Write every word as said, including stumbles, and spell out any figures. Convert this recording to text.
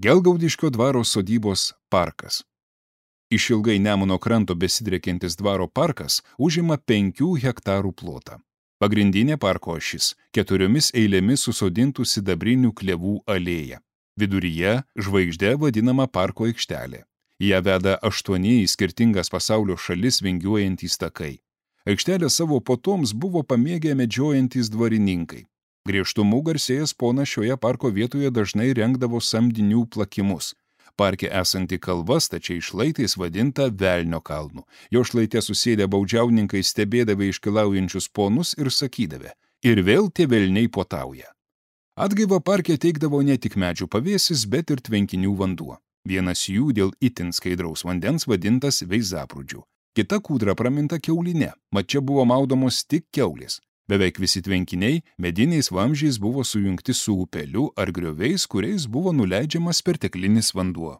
Gelgaudiškio dvaro sodybos parkas. Išilgai Nemuno kranto besidriekiantis dvaro parkas užima penkių hektarų plotą. Pagrindinė parko ašis – keturiomis eilėmis susodintų sidabrinių klevų alėja. Viduryje žvaigždė vadinama parko aikštelė. Ją veda aštuoni į skirtingas pasaulio šalis vingiuojantys takai. Aikštelė savo puotoms buvo pamėgę medžiojantys dvarininkai. Griežtumu garsėjęs ponas šioje parko vietoje dažnai rengdavo samdinių plakimus. Parke esanti kalva stačiai šlaitais vadinta Velnio kalnu. Jo šlaite susėdę baudžiauninkai stebėdavę iškilaujančius ponus ir sakydavę: ir vėl tie velniai puotauja. Atgaivą parke teikdavo ne tik medžių pavėsis, bet ir tvenkinių vanduo. Vienas jų dėl itin skaidraus vandens vadintas Veizaprūdžiu. Kita kūdra praminta Kiauline, mat čia buvo maudomos tik kiaulės. Beveik visi tvenkiniai mediniais vamzdžiais buvo sujungti su upeliu ar grioviais, kuriais buvo nuleidžiamas perteklinis vanduo.